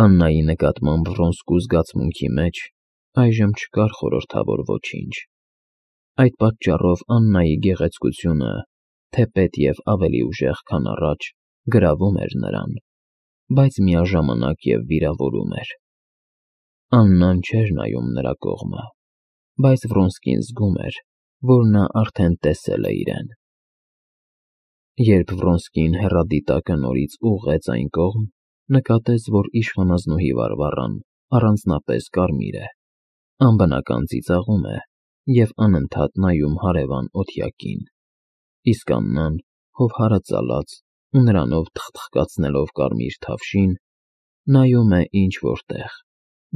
Աննայի նկատմամբ Վրոնսկու զգացմունքի մեջ այժմ չկար խորհրդավոր ոչինչ։ Այդ պատճառով Աննայի գեղեցկությունը, թեպետ և ավելի ուժեղ, քան առաջ, գրավում էր նրան, բայց միաժամանակ և վիրավորում էր։ Աննան չէր նայում նրա կողմը, բայց Վրոնսկին զգում էր, որ նա արդեն տեսել է իրեն։ Երբ Վրոնսկին հեռադիտակը նորից ուղղեց այն կողմ, նկատեց, որ իշխանազնուհի Վարվառան առանձնապես կարմիր է, անբնական ծիծաղում է և անընդհատ նայում հարևան օթյակին, իսկ Աննան, հովհարը ծալած ու նրանով թխթխկացնելով կարմիր թավշին, նայում է ինչ-որ տեղ,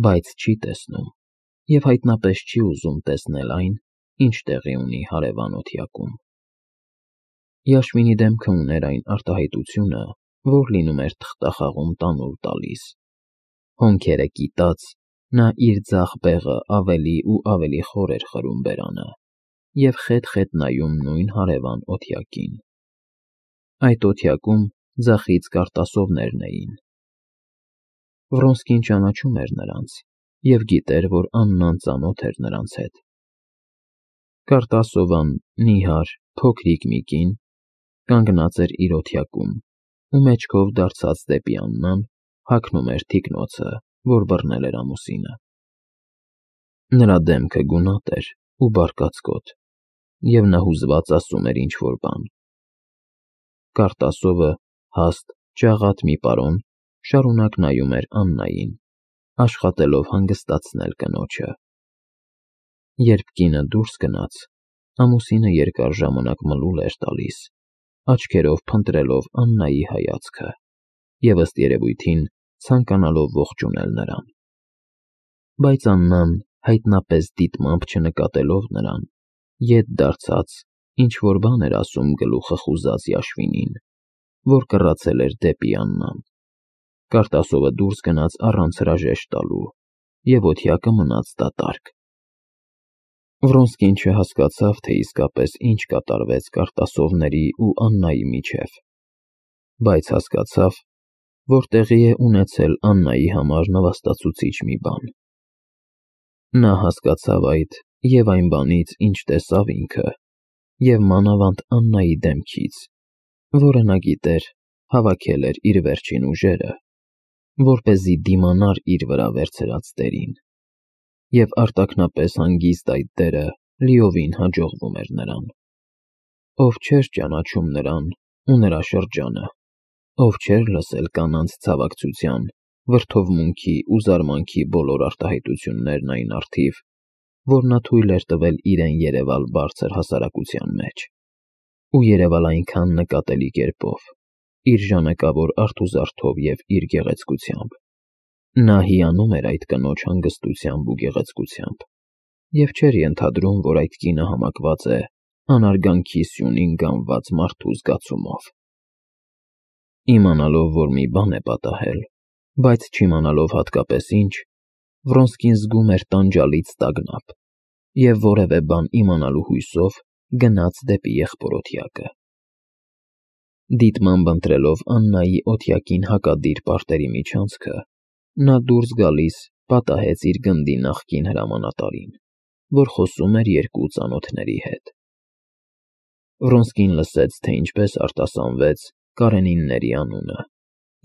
բայց չի տեսնում և հայտնապես չի ուզում տեսնել այն, ինչ տեղի ունի հարևան օթյակում։ Յաշվինի դեմքը ուներ այն արտահայտությունը, որ լինում էր թղթախաղում տանուլ տալիս։ Հոնքերը կիտած, նա իր ձախ բեղը ավելի ու ավելի խոր էր խրում բերանը և խետ-խետ նայում նույն հարևան օթյակին։ Այդ օթյակում ձախից կարտասովներն էին։ Վրոնսկին ճանաչում էր նրանց և գիտեր, որ Աննան ծանոթ էր նրանց հետ։ Կարտասովան, նիհար, փոքրիկ մի կին, կանգնած էր իր օթյակում ու մեջքով դարձած դեպի Աննան հագնում էր թիկնոցը, որ բռնել էր ամուսինը։ Նրա դեմքը գունատ էր ու բարկացկոտ, և նա հուզված ասում էր ինչ-որ բան։ Կարտասովը, հաստ, ջաղատ մի պարոն, շարունակ նայում էր Աննային, աշխատելով հանգստացնել կնոջը։ Երբ կինը դուրս գնաց, ամուսինը երկար ժամանակ մլուլ էր տալիս, աչքերով փնտրելով Աննայի հայացքը և, ըստ երևույթին, ցանկանալով ողջունել նրան։ Բայց Աննան, հայտնապես դիտմամբ չնկատելով նրան, ետ դարձած, ինչ-որ բան էր ասում գլուխը խուզած Յաշվինին, որ կռացել էր դեպի Աննան։ Կարտասովը դուրս գնաց առանց հրաժեշտ տալու, և օթյակը մնաց դատարկ։ Վրոնսկին չհասկացավ, թե իսկապես ինչ կատարվեց կարտասովների ու Աննայի միջև, բայց հասկացավ, որ տեղի է ունեցել Աննայի համար նվաստացուցիչ մի բան։ Նա հասկացավ այդ և այն բանից, ինչ տեսավ ինքը, և մանավանդ Աննայի դեմքից, որը նա գիտեր հավաքել էր իր վերջին ուժերը, որպեսզի դիմանար իր վրա վերցրած դերին, և արտաքնապես հանգիստ այդ դերը լիովին հաջողվում էր նրան։ Ով չէր ճանաչում նրան ու նրա շրջանը, ով չէր լսել կանանց ցավակցության, վրդովմունքի ու զարմանքի բոլոր արտահայտություններն այն առթիվ, որ նա թույլ էր տվել իրեն երևալ բարձր հասարակության մեջ, ու երևալ այնքան նկատելի կերպով, իր ժանեկավոր արթուզարդով և իր գեղեցկությամբ։ Նա հիանում էր այդ կնոջ հանգստությամբ ու գեղեցկությամբ և չէր ենթադրում, որ այդ կինը համակված է անարգանքի սյունին գամված մարդու զգացումով։ Իմանալով, որ մի բան է պատահել, բայց չիմանալով հատկապես ինչ, Վրոնսկին զգում էր տանջալից տագնապ և որևէ բան իմանալու հույսով գնաց դեպի եղբոր֊օթյակը։ Դիտմամբ ընտրելով Աննայի օթյակին հակադիր պարտերի միջանցքը, նա դուրս գալիս պատահեց իր գնդի նախկին հրամանատարին, որ խոսում էր երկու ծանոթների հետ։ Վրոնսկին լսեց, թե ինչպես արտասանվեց Կարենինների անունը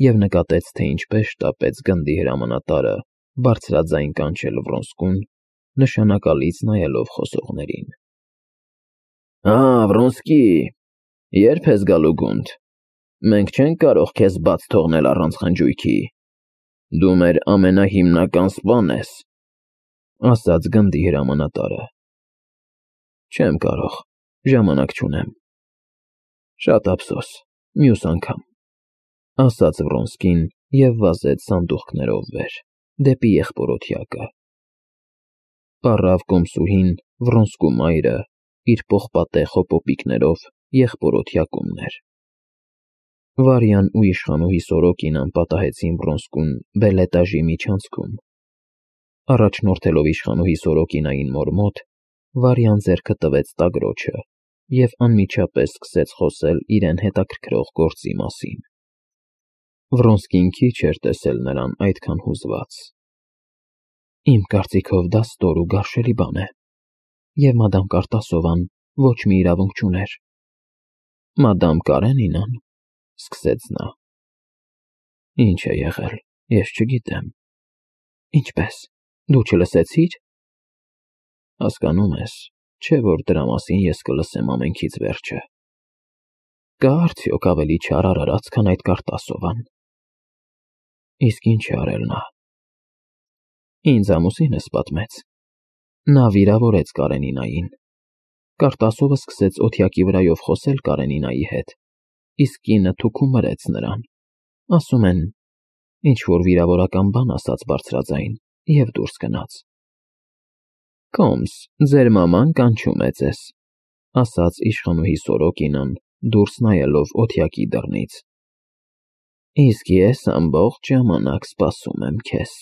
և նկատեց, թե ինչպես շտապեց գնդի հրամանատարը բարձրաձայն կանչել Վրոնսկուն, նշանակալից նայելով խոսողներին։ Վրոնսկի, ե՞րբ ես գալու գունդ։ Մենք չենք կարող քեզ բաց թողնել առանց խնջույքի։ Դու մեր ամենահիմնական սպան ես, ասաց գնդի հրամանատարը։ Չեմ կարող, ժամանակ չունեմ։ Շատ ափսոս, մյուս անգամ, ասաց Վրոնսկին և վազեց սանդուղքներով վեր, դեպի եղբոր֊օթյակը։ Պառավ կոմսուհին, Վրոնսկու մայրը, իր պողպատե խոպոպիկներով եղբոր֊օթյակումն էր։ Վարյան ու իշխանուհի Սորոկինան պատահեցին Վրոնսկուն բելետաժի միջանցքում։ Առաջնորդելով իշխանուհի Սորոկինային մոր մոտ, Վարյան ձեռքը տվեց տագրոջը և անմիջապես սկսեց խոսել իրեն հետաքրքրող գործի մասին։ Վրոնսկին քիչ էր տեսել նրան այդքան հուզված։ Իմ կարծիքով դա ստոր ու գարշելի բան է, և մադամ Կարտասովան ոչ մի իրավունք չուներ։ Մադամ Կարենինան, սկսեց նա։ Ինչ է եղել, ես չգիտեմ։ Ինչպե՞ս, դու չլսեցի՞ր։ Հասկանում ես, չէ՞ որ դրա մասին ես կլսեմ ամենքից վերջը։ Կա՞ արդյոք ավելի չար արարած, քան այդ Կարտասովան։ Իսկ ինչ է արել նա։ Ինձ ամուսինս պատմեց։ Նա վիրավորեց Կարենինային։ Կարտասովը սկսեց օթյակի վրայով խոսել Կարենինայի հետ, իսկ կինը թուքում մրեց նրան։ Ասում են, ինչ-որ վիրավորական բան ասաց բարձրաձայն և դուրս գնաց։ Կոմս, ձեր մաման կանչում է ձեզ, ասաց իշխանուհի Սորոկինան, դուրս նայելով օթյակի դռնից։ Իսկ ես ամբողջ ժամանակ սպասում եմ քեզ,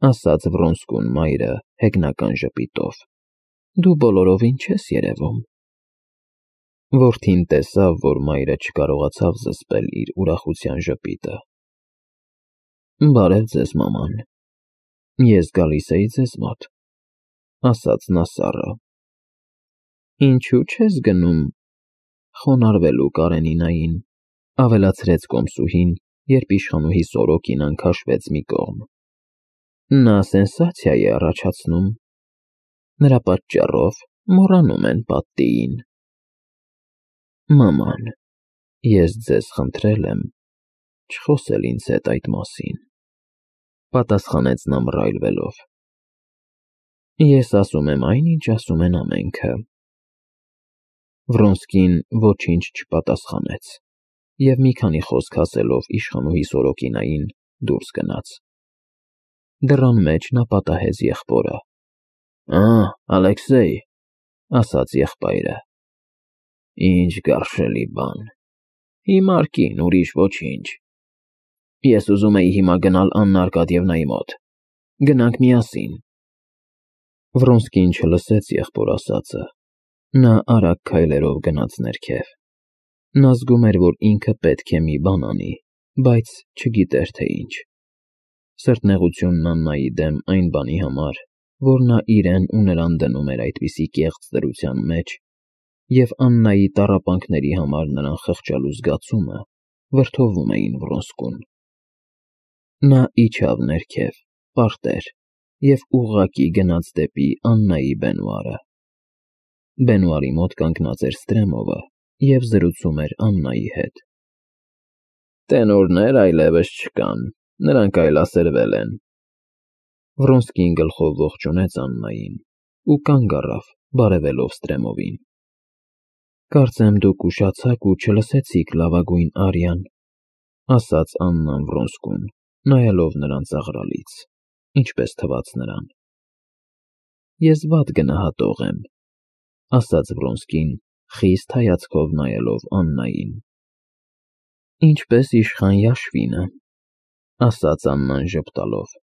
ասաց Վրոնսկուն մայրը հեգնական ժպիտով։ Դու բոլորովին չես երևում։ Որդին տեսավ, որ մայրը չկարողացավ զսպել իր ուրախության ժպիտը։ Բարև ձեզ, մաման։ Ես գալիս էի ձեզ մոտ, ասաց նա սառը։ Ինչու չես գնում խոնարհվելու Կարենինային, ավելացրեց կոմսուհին, երբ իշխանուհի Սորոկինան քաշվեց մի կողմ։ Նա սենսացիա է առաջացնում։ Նրա պատճառով մոռանում են պատտիին։ Մաման, ես ձեզ խնդրել եմ չխոսել ինձ հետ այդ մասին, պատասխանեց նա մռայլվելով։ Ես ասում եմ այն, ինչ ասում են ամենքը։ Վրոնսկին ոչինչ չպատասխանեց, և մի քանի խոսք ասելով իշխանուհի Սորոկինային դուրս գնաց։ Դռան մեջ նա պատահեց եղբորը։ Ալեքսեյ, ասաց եղբայրը։ Ինչ գարշելի բան։ Հիմար կին, ուրիշ ոչինչ։ Ես ուզում էի հիմա գնալ Աննա Արկադիևնայի մոտ։ Գնանք միասին։ Վրոնսկին չլսեց եղբոր ասածը։ Նա արագ քայլերով գնաց ներքև։ Նա զգում էր, որ ինքը պետք է մի բան անի, բայց չգիտեր, թե ինչ։ Սրտնեղությունն Աննայի դեմ այն բանի համար, որ նա իրեն ու նրան դնում էր այդպիսի կեղծ դրության մեջ, և Աննայի տառապանքների համար նրան խղճալու զգացումը վրդովում էին Վրոնսկուն։ Նա իջավ ներքև, պարտեր, և ուղղակի գնաց դեպի Աննայի բենուարը։ Բենուարի մոտ կանգնած էր Ստրեմովը և զրուցում էր Աննայի հետ։ Տենորներ այլևս չկան, նրանք այլասերվել են։ Վրոնսկին գլխով ողջունեց Աննային ու կանգ առավ, բարևելով Ստրեմովին։ Կարծեմ դուք ուշացաք ու չլսեցիք, լավագույն Արյան, ասաց Աննան Վրոնսկուն, նայելով նրան ծաղրալից, ինչպես թվաց նրան։ Ես վատ գնահատող եմ, ասաց Վրոնսկին, խիստ հայացքով նայելով Աննային։ Ինչպես իշխան Յաշվինը, ասաց Աննան ժպտալով։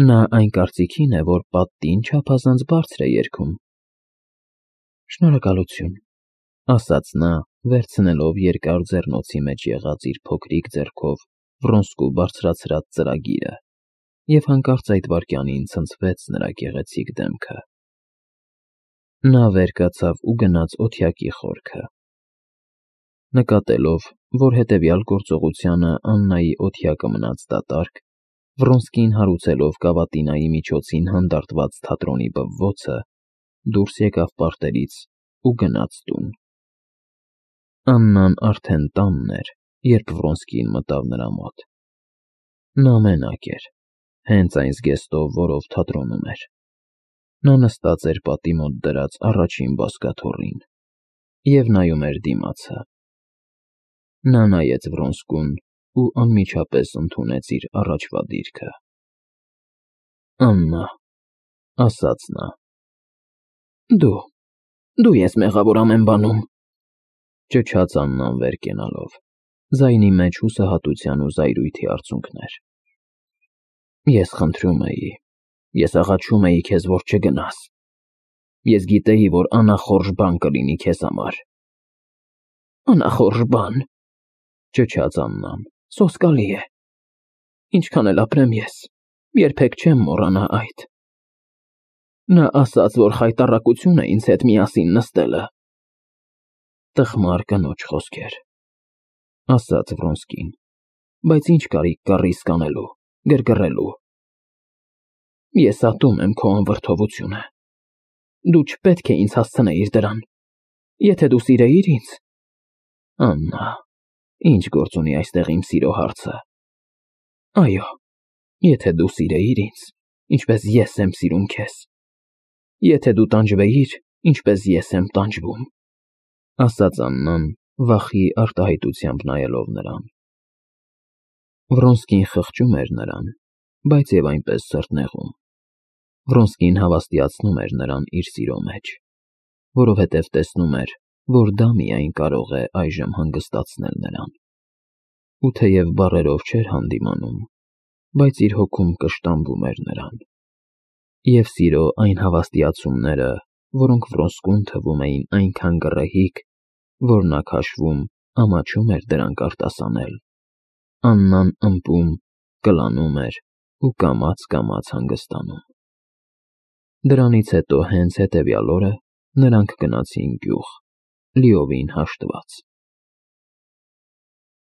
Նա այն կարծիքին է, որ պատտին չափազանց բարձր է երգում։ Շնորհակալություն, ասաց նա, վերցնելով երկար ձեռնոցի մեջ եղած իր փոքրիկ ձեռքով Վրոնսկու բարձրացրած ծրագիրը, և հանկարծ այդ վայրկյանին ցնցվեց նրա գեղեցիկ դեմքը։ Նա վեր կացավ ու գնաց օթյակի խորքը։ Նկատելով, որ հետևյալ գործողությանը Աննայի օթյակը մնաց դատարկ, Վրոնսկին հարուցելով կավատինայի միջոցին հանդարտված թատրոնի բվոցը, դուրս եկավ պարտերից ու գնաց տուն։ Աննան արդեն տանն էր, երբ Վրոնսկին մտավ նրա մոտ։ Նա մենակ էր, հենց այն զգեստով, որով թատրոնում էր։ Նա նստած էր պատի մոտ դրած առաջին բազկաթոռին և նայում էր դիմացը։ Նա նայեց Վրոնսկուն ու անմիջապես ընդունեց իր առաջվա դիրքը։ Աննա, ասաց նա։ Դու ես մեղավոր ամեն բանում, ճչաց Աննան վեր կենալով, ձայնի մեջ հուսահատության ու զայրույթի արցունքներ։ Ես խնդրում էի, ես աղաչում էի քեզ, որ չգնաս։ Ես գիտեի, որ անախորժ բան կլինի քեզ համար։ Անախորժ բան, ճչաց Աննան, Սոսկալի է։ Ինչքան էլ ապրեմ ես, երբեք չեմ մոռանա այդ։ Նա ասաց, որ խայտառակություն է ինձ հետ միասին նստելը։ Տխմար կնոջ խոսքեր, ասաց Վրոնսկին, բայց ինչ կարիք կա ռիսկ անելու, գրգռելու։ Ես ատում եմ քո անվրդովությունը։ Դու չպետք է ինձ հասցնեիր դրան։ Եթե դու սիրեիր ինձ… Աննա, ինչ գործ ունի այստեղ իմ սիրո հարցը։ Այո, եթե դու սիրեիր ինձ, ինչպես ես եմ սիրում քեզ։ Եթե դու տանջվեիր, ինչպես ես եմ տանջվում, ասաց Աննան, վախի արտահայտությամբ նայելով նրան։ Վրոնսկին խղճում էր նրան, բայց և այնպես սրտնեղում։ Վրոնսկին հավաստիացնում էր նրան իր սիրո մեջ, որովհետև տեսնում էր, որ դա միայն կարող է այժմ հանգստացնել նրան։ Ու թեև բառերով չէր հանդիմանում, բայց իր հոգում կշտամբում էր նրան։ Եվ սիրո այն հավաստիացումները, որոնք Վրոնսկուն թվում էին այնքան գռեհիկ, որ նա քաշվում, ամաչում էր դրանք արտասանել, Աննան ըմպում, կլանում էր ու կամաց հանգստանում։ Դրանից հետո հենց հետևյալ օրը նրանք գնացին գյուղ, լիովին հաշտված։